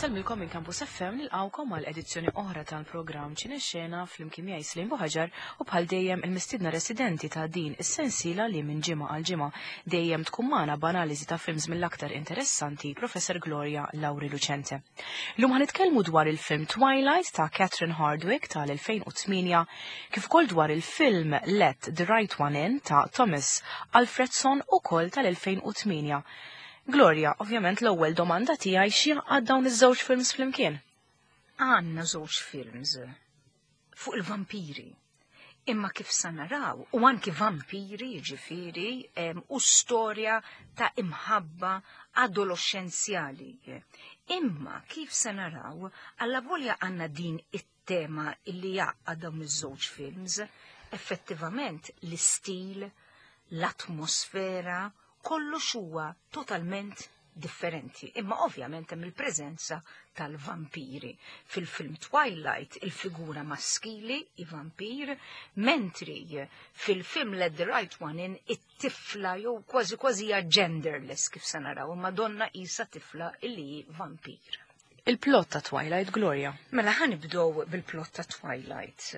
Insellmilkom minn Campus FM nilqawkom għal edizzjoni oħra tal-programm Ċinexxena flimkien miegħi Slim Buħaġar u bħal dejjem il-mistiedna residenti ta' din is-sensiela li minn ġimgħa għal ġimgħa dejjem tkun magħna b'analiżi ta' films mill-aktar interessanti Professor Gloria Lauri Lucente. Llum ħanitkellmu dwar il-film Twilight ta' Catherine Hardwick tal-2008 kif ukoll dwar il-film Let the Right One In ta' Thomas Alfredson ukoll tal-2008. Gloria, ovvjament l-ewwel domanda tiegħi x'jaqgħad dawn iż-żewġ films flimkien? Għandna żewġ films fuq il-vampiri. Imma kif sa naraw, u anki vampiri ġifiri, u storja ta' imħabba adolescenzjali. Imma kif sa naraw, alla volja għanna din it-tema illi jaqqa dawn iż-żewġ films, effettivament l-istil, l-atmosfera, kollox huwa totalment differenti. Imma ovvjament hemm il-preżenza tal-vampiri. Fil-film Twilight il-figura maskili i vampir, mentri fil-film Let the Right One In it-tifla jew kważi kważi hija genderless kif se naraw, imma donna isa tifla illi hi vampir. Il-plot ta' Twilight, Gloria. Mela ħa nibdew bil-plot ta' Twilight.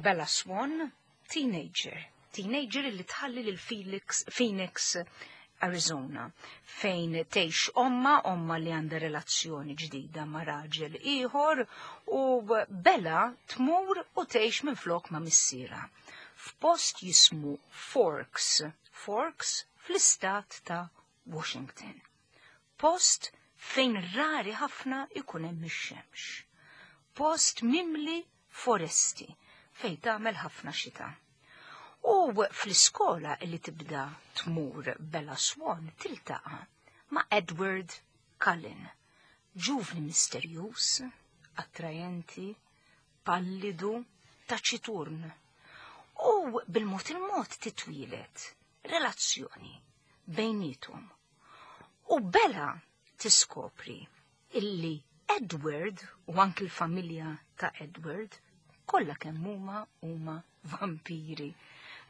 Bella Swan, teenager. Teenager li tħalli lil Felix, Phoenix, Arizona, fejn tgħix omma, omma li għandha relazzjoni ġdida ma' raġel ieħor u Bella tmur u tgħix minn flok ma' missiera. F'post jismu Forks, Forks fl-istat ta' Washington. Post fejn rari ħafna ikun hemm ix-xemx. Post mimli foresti fejn tagħmel ħafna xita. U fl-iskola li tibda tmur Bella Swan tiltaqa' ma' Edward Cullen, ġuvni misterjuż, attrajenti, pallidu, taċiturn. U bil-mod il-mod titwieled relazzjoni bejnietom. U Bella tiskopri illi Edward u anki l-familja ta' Edward kollha kemm huma huma vampiri.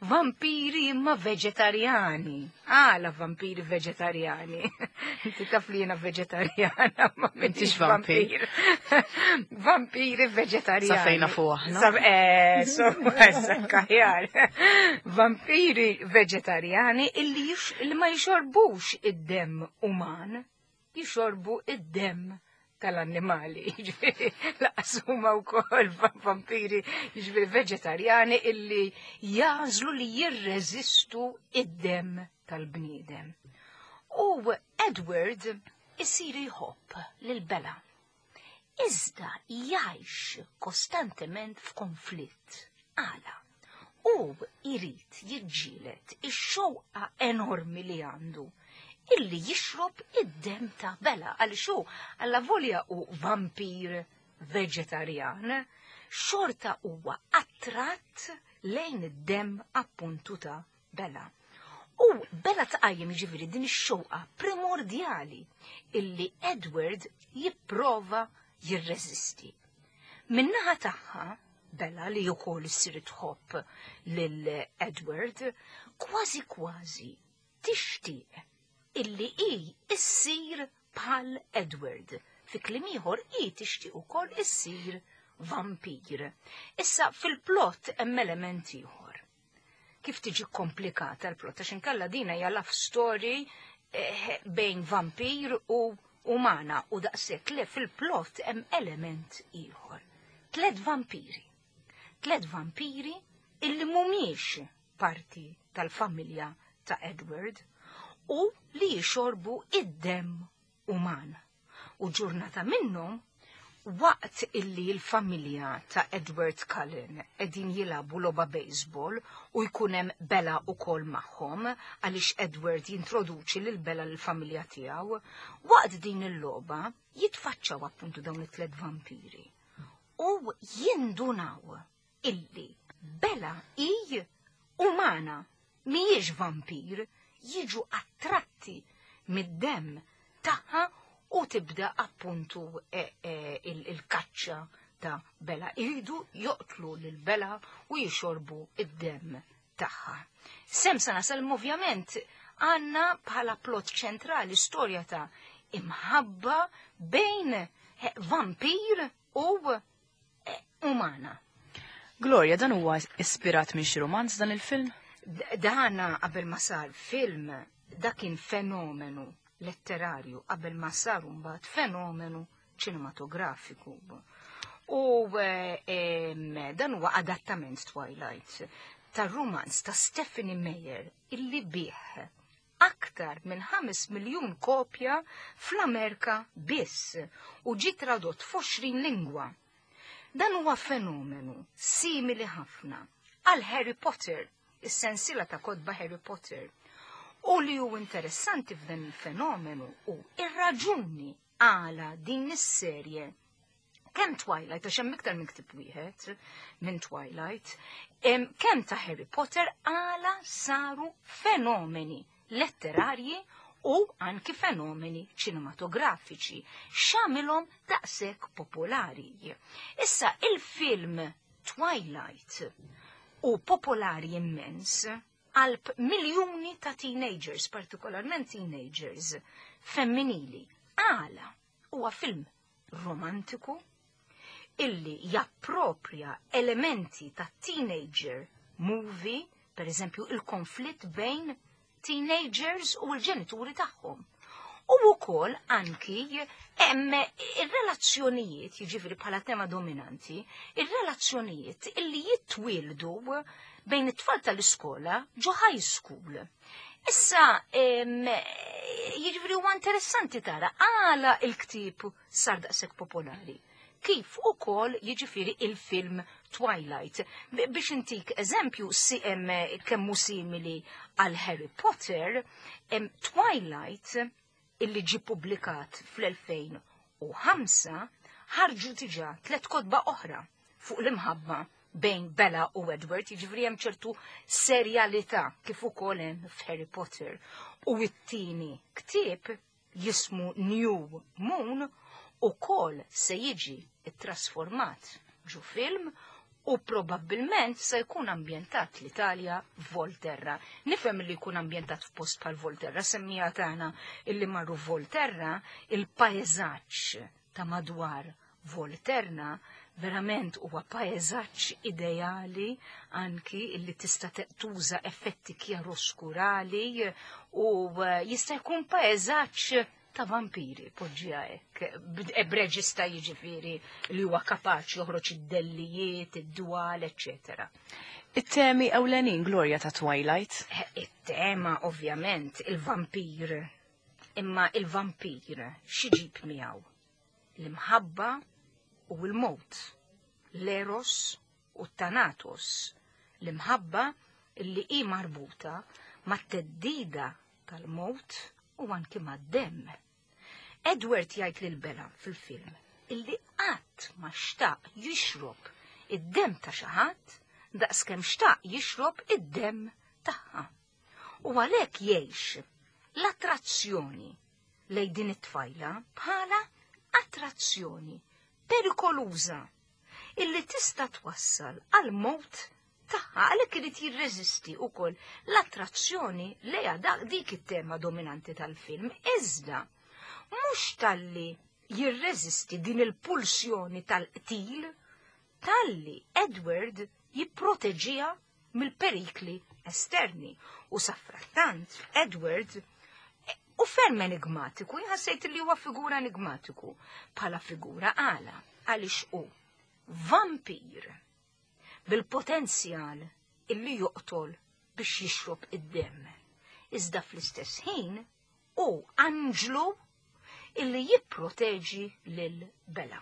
Vampiri imma veġetarjani. Għala vampiri veġetarjani. Inti taf li jiena veġetarjana, ma m'intix vampir. Vampiri veġetarjani. Sa fejna fuq aħna. Sa eh, so, kaħjar. Vampiri veġetarjani illi ma jxorbux id-dem uman jixorbu id-demm tal-annimali, jiġifieri laqas huma wkoll vampiri, jiġifieri veġetarjani illi jażlu li jirreżistu id-demm tal-bniedem. U Edward isir jħobb lil Bella. Iżda jgħix kostantement f'konflitt. Għala? Hu jrid jiġġieled ix-xewqa enormi li għandu illi jixrob id-demm ta' Bella għaliex hu allavolja hu vampir veġetarjan, xorta huwa attratt lejn id-demm appuntu ta' Bella. U Bella tqajjem jiġifieri din ix-xewqa primordjali illi Edward jipprova jirreżisti. Min-naħa tagħha, Bella li wkoll issir tħobb lil Edward, kważi kważi tixtieq illi hi issir bħal Edward. Fi kliem ieħor hi tixtieq ukoll issir vampir. Issa fil-plot hemm element ieħor. Kif tiġi komplikata l-plot għax inkella dina hija love story eh, bejn vampir u umana u daqshekk le fil-plot hemm element ieħor. Tlet vampiri. Tlet vampiri illi mhumiex parti tal-familja ta' Edward u li jixorbu id-demm uman. U ġurnata minnhom waqt illi l-familja ta' Edward Cullen qegħdin jilagħbu logħba baseball u jkun hemm Bella ukoll magħhom għaliex Edward jintroduċi lil Bella lill-familja tiegħu, waqt din il-logħba jitfaċċaw appuntu dawn it-tliet vampiri u jindunaw illi Bella hi umana mhijiex vampir, jiġu attratti mid-demm tagħha u tibda appuntu e, e, il-kaċċa ta' Bella. Iridu joqtlu lil Bella u jixorbu id-demm tagħha. Sem sa nasal ovvjament għandna bħala plot ċentrali storja ta' imħabba bejn Vampir u umana. Gloria, dan huwa ispirat minn xi romanz dan il-film? Dana qabel ma sar film, dak kien fenomenu letterarju qabel ma sar mbagħad fenomenu ċinematografiku. U dan huwa adattament Twilight tar-romanz ta' Stephenie Meyer illi bih aktar minn 5 miljun kopja fl-Amerika biss u ġi tradott f'20 lingwa. Dan huwa fenomenu simili ħafna għal Harry Potter, is-sensiela ta' kotba Harry Potter. U li hu interessanti f'dan il-fenomenu u ir-raġuni għala din is-serje kemm Twilight, għax hemm iktar minn ktieb wieħed minn Twilight, kemm ta' Harry Potter għala saru fenomeni letterarji u anki fenomeni ċinematografiċi x'għamilhom daqshekk popolari. Issa il-film Twilight u popolari immens qalb miljuni ta' teenagers, partikolarment teenagers femminili. Għala huwa film romantiku illi japproprja elementi ta' teenager movie, per eżempju il-konflitt bejn teenagers u l-ġenituri tagħhom. U wkoll anki hemm ir-relazzjonijiet, jiġifieri bħala tema dominanti, ir-relazzjonijiet illi jitwieldu bejn it-tfal tal-iskola ġo high school. Issa, jiġifieri huwa interessanti tara għala il-ktieb sar daqshekk popolari. Kif ukoll jiġifieri il-film Twilight. Biex intik eżempju si hemm kemm hu simili għal Harry Potter, Twilight illi ġi publikat fl-2005 ħarġu diġà tliet kotba oħra fuq l-imħabba bejn Bella u Edward, jiġifieri hemm ċertu serjalità kif ukoll hemm f'Harry Potter. U t-tieni ktieb jismu New Moon ukoll se jiġi trasformat ġo film u probabbilment se jkun ambjentat l-Italja, Volterra. Nifhem li jkun ambjentat f'post bħal Volterra, semmija tagħna illi marru Volterra, il-pajżaġġ ta' madwar Volterra verament huwa pajżaġġ ideali anki illi tista' tuża effetti kjaroskurali u jista' jkun pajżaġġ ta' vampiri, poġġija hekk. B'reġista jiġifieri li huwa kapaċi joħroġ id-dellijiet, id-dwal, eccetera. It-temi ewlenin, Gloria, ta' Twilight? It-tema, ovvjament, il-vampir. Imma il-vampir x'iġib miegħu? L-imħabba u l-mowt, l-eros u t-thanatos. L-imħabba li hi marbuta mat-theddida tal-mowt u anki mad-demm. Edward jgħid lil Bella fil-film illi qatt ma xtaq jixrob id-demm ta' xi ħadd daqskemm xtaq jixrob id-demm tagħha. U għalhekk jgħix l-attrazzjoni lejn din it-tfajla bħala attrazzjoni perikoluża illi tista' twassal għal mowt tagħha, għalhekk irid jirreżisti wkoll l-attrazzjoni lejha dik it-tema dominanti tal-film. Iżda mhux talli jirreżisti din il-pulsjoni tal-qtil, talli Edward jipproteġiha mill-perikli esterni. U sadanittant Edward u ferm enigmatiku, jħassejt li huwa figura enigmatiku bħala figura għala, għaliex hu vampir bil-potenzjal illi joqtol biex jixrob id-demm. Iżda fl-istess ħin hu anġlu illi jipproteġi lil Bella.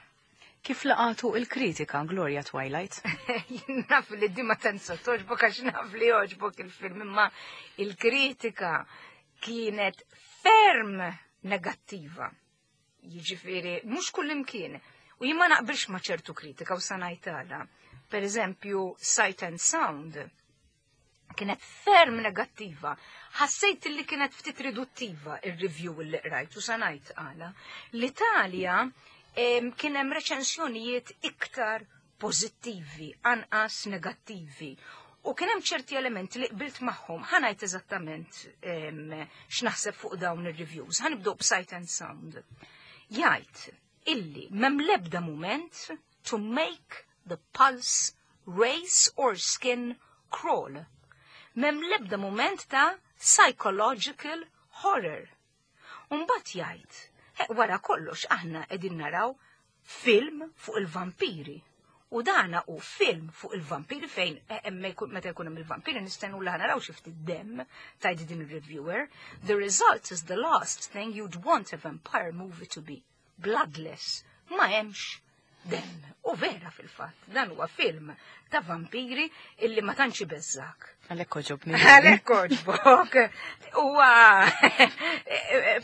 Kif laqatu il-kritika, Gloria, Twilight? Naf li di ma tantx togħġbok għax naf li jogħġbok il-film, imma il-kritika kienet ferm negattiva. Jiġifieri, mhux kull imkien. U jien ma naqbilx ma' ċertu kritika u sa ngħidha. Per eżempju, Sight and Sound kienet ferm negattiva. Ħassejt li kienet ftit riduttiva il-review li qrajt u sa ngħid għala. L-Italja kien hemm reċensjonijiet iktar pożittivi, anqas negattivi. U kien hemm ċerti elementi li qbilt magħhom. Ħa ngħid eżattament x'naħseb fuq dawn ir-reviews. Ħa nibdew b'Sight and Sound. Jgħid illi m'hemm l-ebda mument to make the pulse race or skin crawl. M'hemm l-ebda mument ta' psychological horror. Umbagħad jgħid, wara kollox aħna qegħdin naraw film fuq il-vampiri. U dana hu film fuq il-vampiri fejn meta jkun hemm il-vampiri nistennu li naraw xi ftit dem, tgħid din il-reviewer. The result is the last thing you'd want a vampire movie to be. Bloodless. Ma hemmx dem. U vera fil-fatt, dan huwa film ta' vampiri illi ma tantx ibeżżak. Għalhekk għoġobni. Għalhekk għoġbok. Huwa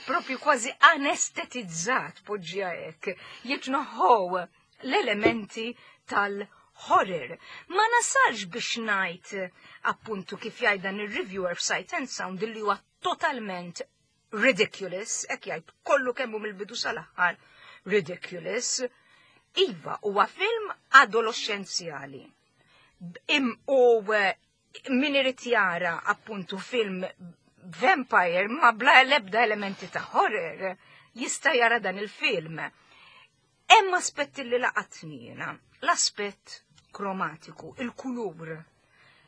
propju kważi anestetizzat poġġja hekk. Jitnoħħow l-elementi tal-horror. Ma nasalx biex ngħid appuntu kif jgħid dan ir-reviewer f'Sight and Sound illi huwa totalment ridiculous, hekk jgħid kollu kemmu mill-bidu sal-aħħar ridiculous. Iva, huwa film adolescenzjali. U min irid jara appuntu film vampire ma bla l-ebda elementi ta' horror jista' jara dan il-film. Hemm aspetti li laqatni jiena, l-aspett kromatiku, il-kulur,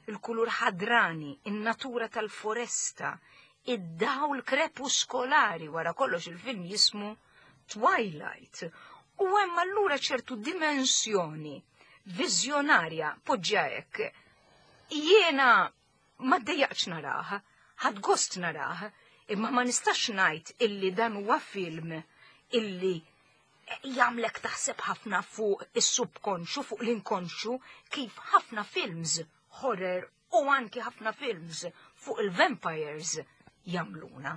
il-kulur ħadrani, in-natura tal-foresta, id-dawl krepuskolari, wara kollox il-film jismu Twilight. U hemm allura ċertu dimensjoni viżjonarja poġġja hekk. Jiena ma ddejjaqx narah, ħadt gost narah, imma ma nistax ngħid illi dan huwa film illi jagħmlek taħseb ħafna fuq is-subkonxu, fuq l-inkonxu, kif ħafna films horror u anki ħafna films fuq il-vampires jagħmluna.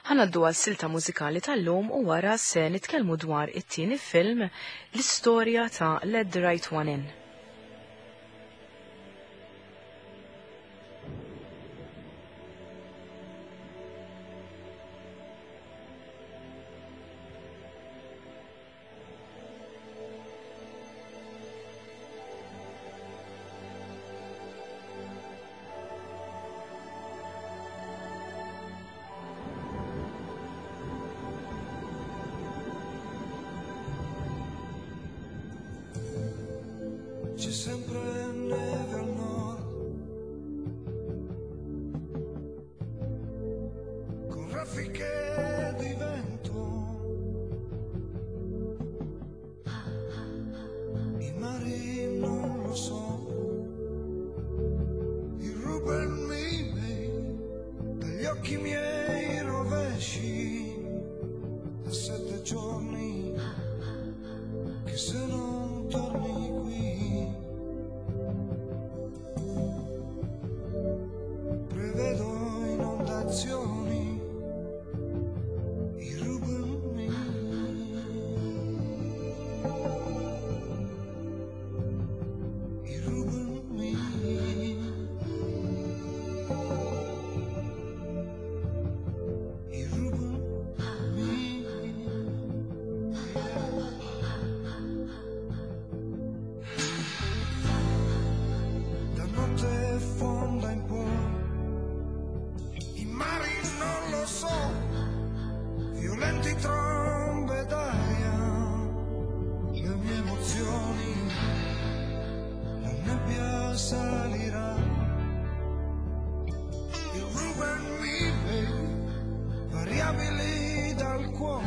Ħa ngħaddu għal silta mużikali tal-lum u wara se nitkellmu dwar it-tieni film, l-istorja ta' Let the Right One In. C'è sempre neve al nord, con raffiche di vento, i mari non lo so, i Ruben miei, dagli occhi miei rovesci, da 7 giorni che se non torni qui, prevedo inondazioni, i Ruben miei, i Ruben miei, i Ruben miei. Da notte fonda in poi, i mari non lo so, violenti trombe d'aria, le mie emozioni, la nebbia salirà. Il Ruben mi vede, variabili dal cuore,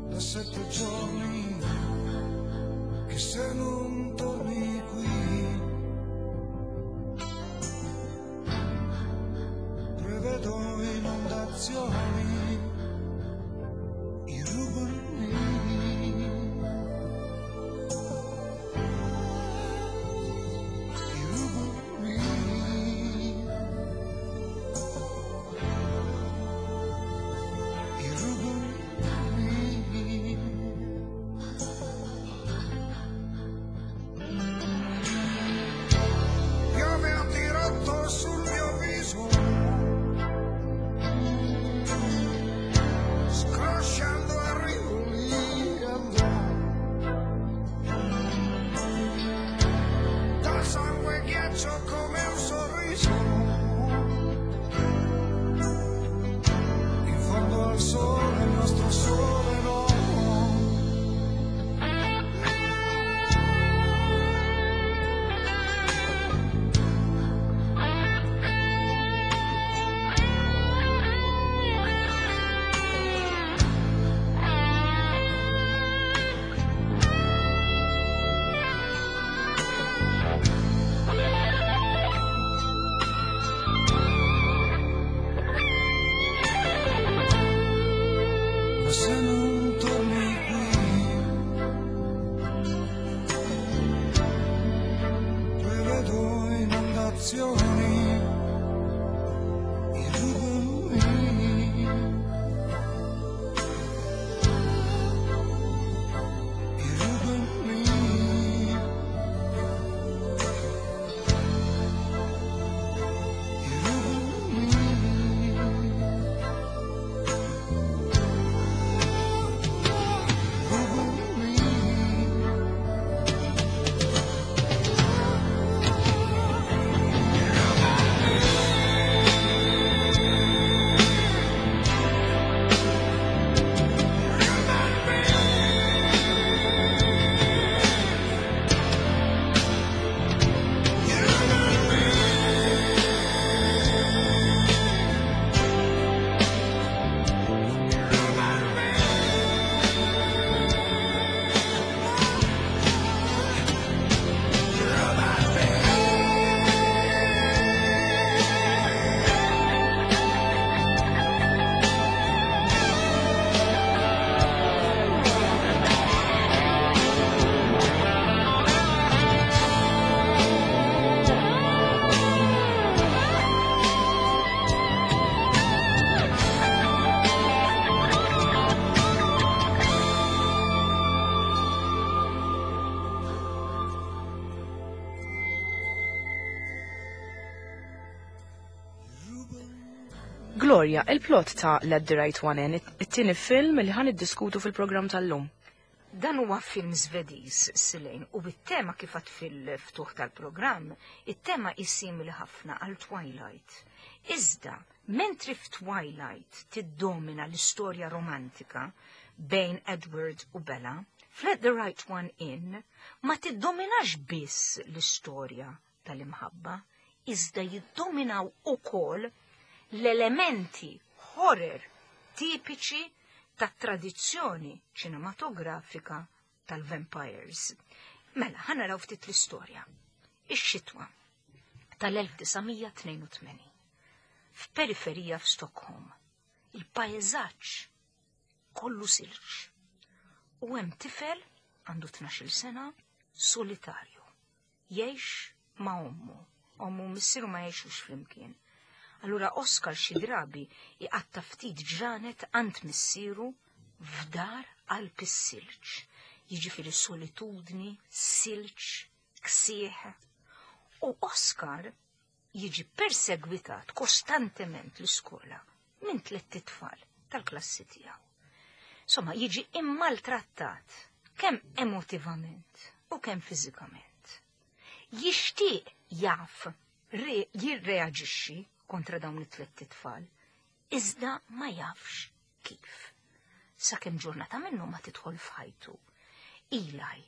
da 7 giorni che se non torni qui, prevedo inondazioni, i Ruben miei, i Ruben miei, i Ruben miei. Piove a dirotto sul mio viso, scrosciando a rivoli andò, dal sangue ghiaccio come un sorriso, in fondo al sole, il nostro sole no. sensazioni. E rubami. E rubami. E rubami. Rubami. Gloria, il-plot ta' Let the Right One In, it-tieni film li ħan iddiskutu fil-programm tal-lum. Dan huwa film Svediż, Silejn, u bit-tema kif għad fil-ftuħ tal-programm, it-tema hi simili ħafna għal Twilight. Iżda, mentri f'Twilight tiddomina l-istorja romantika bejn Edward u Bella, f'Let the Right One In ma tiddominax biss l-istorja tal-imħabba, iżda jiddominaw ukoll l-elementi horror tipiċi tat-tradizzjoni ċinematografika tal-vampires. Mela, ħa naraw ftit l-istorja. Ix-xitwa tal-1982. F'periferija f'Stockholm, il-pajzaġġ kollu silġ. U hemm tifel għandu 12 sena solitarju. Jgħix ma' ommu. Ommu u missieru ma jgħixux flimkien. Allura Oscar xi drabi iqatta' ftit ġranet għand missieru f'dar qalb is-silġ. Jiġifieri solitudni, silġ, ksieħ. U Oscar jiġi persegwitat kostantement l-iskola minn tlett itfal tal-klassi tiegħu. Insomma, jiġi immaltrattat kemm emotivament u kemm fiżikament. Jixtieq jaf jirreaġixxi kontra dawn it-tlett itfal, iżda ma jafx kif. Sakemm ġurnata minnu ma tidħol f'ħajtu. Eli,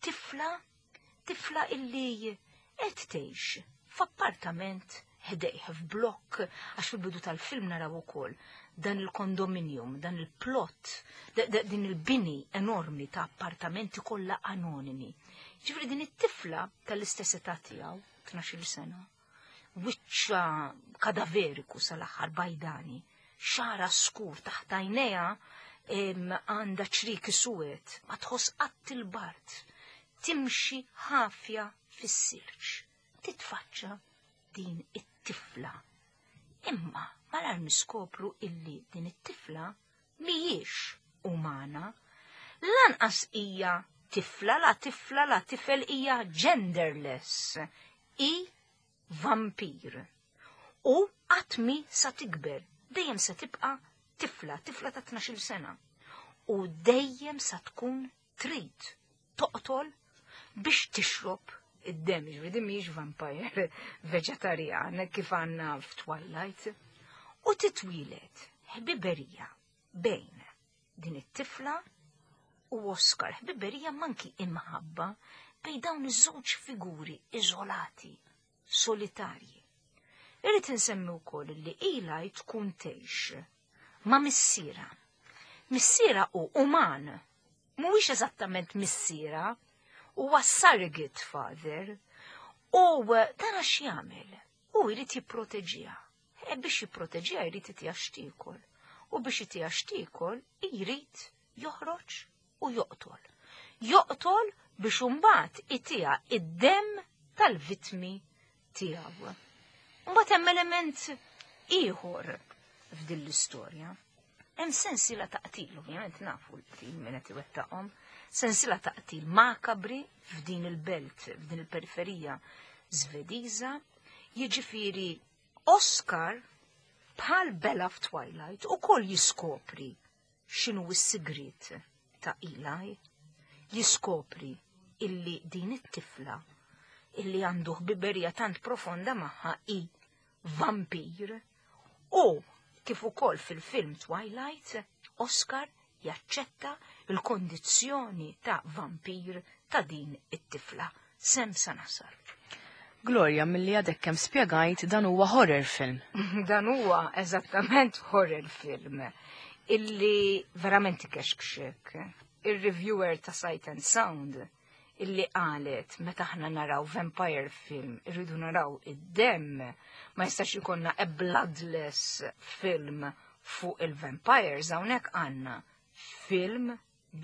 tifla, tifla illi qed tgħix f'appartament ħdejh f'blokk, għax fil-bidu tal-film naraw ukoll dan il-kondominium, dan il-plot, din il-bini enormi ta' appartamenti kollha anonimi. Ġifieri din it-tifla tal-istess età tiegħu, 12-il sena, wiċċa kadaveriku sal-aħħar bajdani, xara skur taħt għajnejha għandha ċriki suwed, ma tħoss qatt il-bard, timxi ħafja fis-silġ, titfaċċa din it-tifla. Imma malar niskopru illi din it-tifla mhijiex umana, lanqas hija tifla, la tifla, la tifel, hija genderless, i vampir. U qatt mi sa tikber, dejjem se tibqa' tifla, tifla ta' 12-il sena. U dejjem sa tkun trid toqtol biex tixrob id-dem, ġifieri din mhijiex vampire veġetarjan kif għandna f'Twilight. U titwilet ħbiberija bejn din it-tifla u Oscar, ħbiberija manki imħabba bejn dawn iż-żewġ figuri iżolati, solitarji. Irrid insemmi wkoll li Eli tkun tgħix ma' missiera. Missiera hu uman, mhuwiex eżattament missiera, huwa surrogate father. U dan għax jagħmel? Hu jrid jipproteġiha. E biex jipproteġiha jrid itiha x'tiekol. U biex itiha x'tiekol jrid joħroġ u joqtol. Joqtol biex imbagħad itiha id-demm tal-vittmi tiegħu. Mbagħad hemm element ieħor f'din l-istorja. Hemm sensiela ta' qtil, ovvjament nafu l-qtil min qed iwettaqhom, sensiela ta' qtil makabri f'din il-belt, f'din il-periferija Svediża, jiġifieri Oscar bħal Bella f'Twilight ukoll jiskopri x'inhu s-sigriet ta' Eli, jiskopri illi din it-tifla illi għandu ħbiberija tant profonda magħha hi vampir u kif ukoll fil-film Twilight, Oscar jaċċetta l-kondizzjoni ta' vampir ta' din it-tifla. Sem sa nasal. Gloria, milli għadek kemm spjegajt dan huwa horror film. Dan huwa eżattament horror film illi verament ikexkxek. Ir-reviewer ta' Sight and Sound illi qalet meta aħna naraw vampire film irridu naraw id-demm, ma jistax ikollna a bloodless film fuq il-vampires, hawnhekk għandna film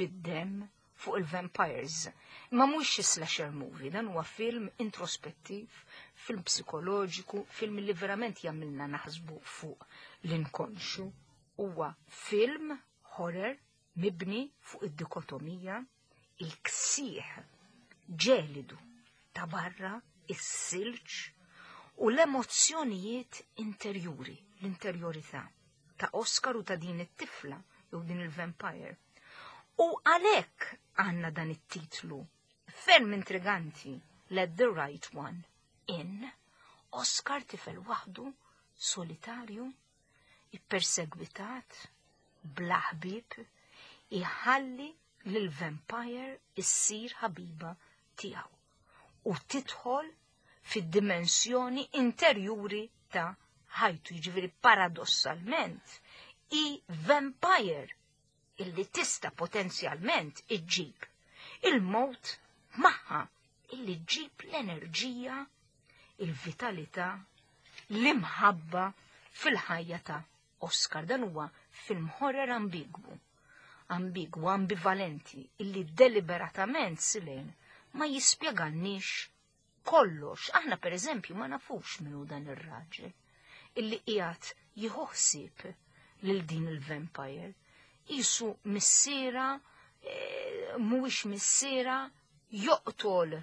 bid-demm fuq il-vampires. Ma mhux xi slasher movie, dan huwa film introspettiv, film psikoloġiku, film li verament jagħmilna naħsbu fuq l-inkonxu. Huwa film horror mibni fuq id-dikotomija, il-ksieħ ġelidu ta' barra, is-silġ u l-emozzjonijiet interjuri, l-interjorità ta' Oscar u ta' din it-tifla jew din il-vampire. U għalhekk għandna dan it-titlu ferm intriganti, Let the Right One In. Oscar tifel waħdu, solitarju, ippersegwitat, bla ħbieb, iħalli lil-vampire issir ħabiba tiegħu u tidħol fid-dimensjoni interjuri ta' ħajtu, jiġifieri paradossalment i vampire illi tista' potenzjalment iġġib il-mowt magħha, illi ġġib l-enerġija, il-vitalità, l-imħabba fil-ħajja ta' Oscar. Dan huwa film horror ambigwu, ambigwu, ambivalenti, illi deliberatament Silejn ma jispjegalniex kollox. Aħna per eżempju ma nafux minnu dan ir-raġel illi qiegħed jieħu ħsieb lil din il-vampire. Isu missiera, mhuwiex missiera, joqtol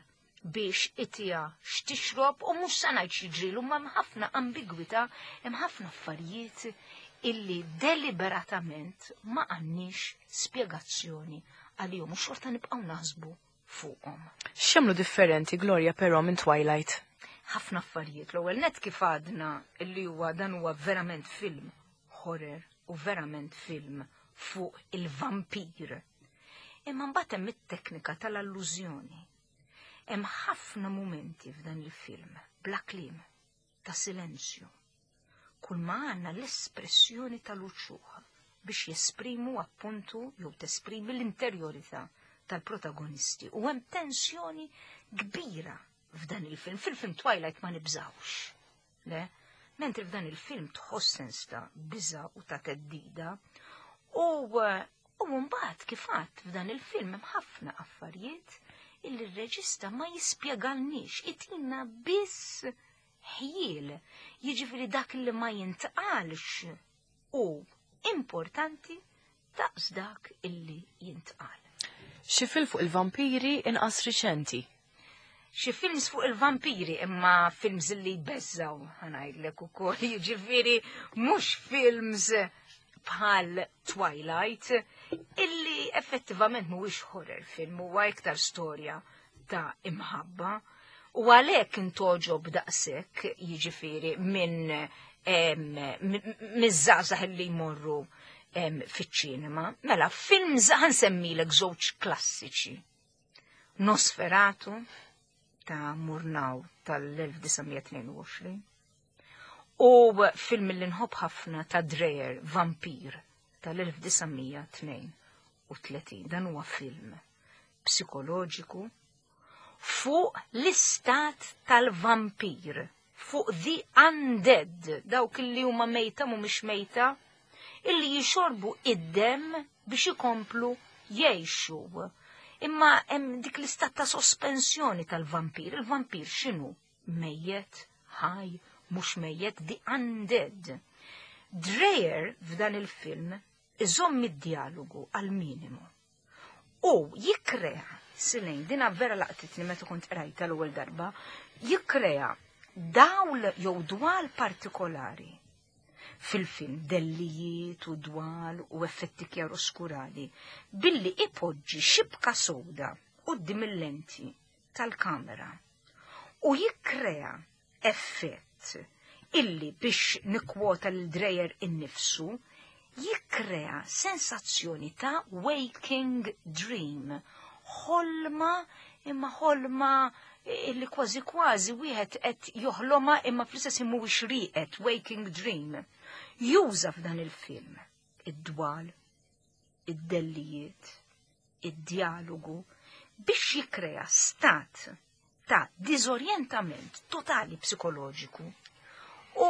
biex itija x'tixrob u mhux sa ngħid x'jiġrilu, ma hemm ħafna ambigwità, hemm ħafna affarijiet illi deliberatament ma għandniex spjegazzjoni għalihom u xorta nibqgħu naħsbu fuqhom. X'jagħmlu differenti, Gloria, però minn Twilight? Ħafna affarijiet. L-ewwel net kif għadna illi huwa dan huwa verament film horror u verament film fuq il-vampir. Imma mbagħad hemm it-teknika tal-allużjoni. Hemm ħafna mumenti f'dan il-film bla kliem, ta' silenzju. Kull ma għandna l-espressjoni tal-uċuħ biex jesprimu appuntu jew tesprimi l-interjorità tal-protagonisti. U hemm tensjoni kbira f'dan il-film. Fil-film Twilight ma nibżawx. Le? Mentri f'dan il-film tħoss sens ta' biża' u ta' teddida. U mbagħad kif għadt f'dan il-film hemm ħafna affarijiet illi r-reġista ma jispjegalniex, itina biss ħjiel, jiġifieri dak li ma jintqalx u importanti daqs dak illi jintqal. Xi film fuq il-vampiri inqas riċenti? Xi films fuq il-vampiri imma films li jbeżżaw, ħanajdlek ukoll, jiġifieri mhux films bħal Twilight, illi effettivament mhuwiex horror film, huwa iktar storja ta' imħabba. U għalhekk intoġob daqshekk, jiġifieri minn miż-żgħażagħ li jmorru fiċ-ċinema. Mela, films ħansemmilek żewġ klassiċi. Nosferatu ta' Murnau tal-1922 u film li nħobb ħafna ta' Dreyer, Vampir, tal-1932. Dan huwa film psikoloġiku fuq l-istat tal-vampir, fuq the undead, dawk li huma mejta mhumiex mejta, illi jixorbu id-demm biex ikomplu jgħixu. Imma hemm dik l-istat ta' sospensjoni tal-vampir. Il-vampir x'inhu? Mejjet? ħaj, mhux mejjet, the undead. Dreyer f'dan il-film iżomm id-dialogu għal minimu. U jikkrea, Silejn, dina vera laqtitni meta kont qrajta l-ewwel darba, jikkrea dawl jew dwal partikolari fil-film dellijiet u dwal u effetti kjaroskurali billi ipoġġi xibka soda quddiem il-lenti tal-kamera u jikkrea effett illi biex nikkwota lil Dreyer innifsu jikkrea sensazzjoni ta' waking dream, ħolma imma ħolma illi kważi kważi wieħed qed joħloma imma fl-istess ħin mhuwiex rieqed, waking dream. Juża f'dan il-film id-dwal, id-dellijiet, id-djalogu biex jikkrea stat ta' diżorjentament totali psikoloġiku. U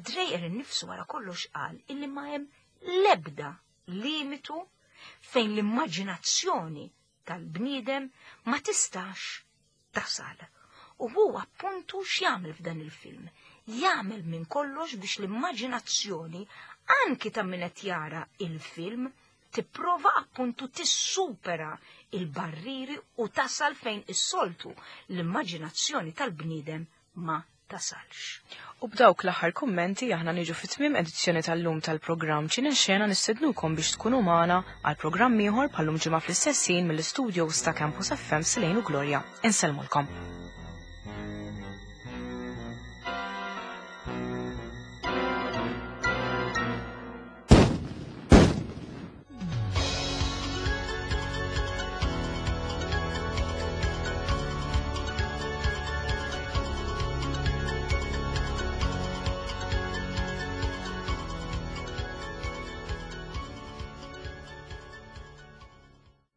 Dreyer innifsu wara kollox qal illi ma hemm l-ebda limitu fejn l-immaġinazzjoni tal-bniedem ma tistax tasal. U hu appuntu x'jagħmel f'dan il-film. Jagħmel minn kollox biex l-immaġinazzjoni anki ta' min qed jara il-film tipprova appuntu tissupera il-barriri u tasal fejn is-soltu l-immaġinazzjoni tal-bniedem ma tasalx. U b'dawk l-aħħar kummenti aħna niġu fi tmiem edizzjoni tal-lum tal-programm Ċinexxena nistednukom biex tkunu magħna għal programm ieħor bħal-lum ġimgħa fl-istess ħin mill-istudios ta' Campus FM Silejn u Gloria. Insellmulkom.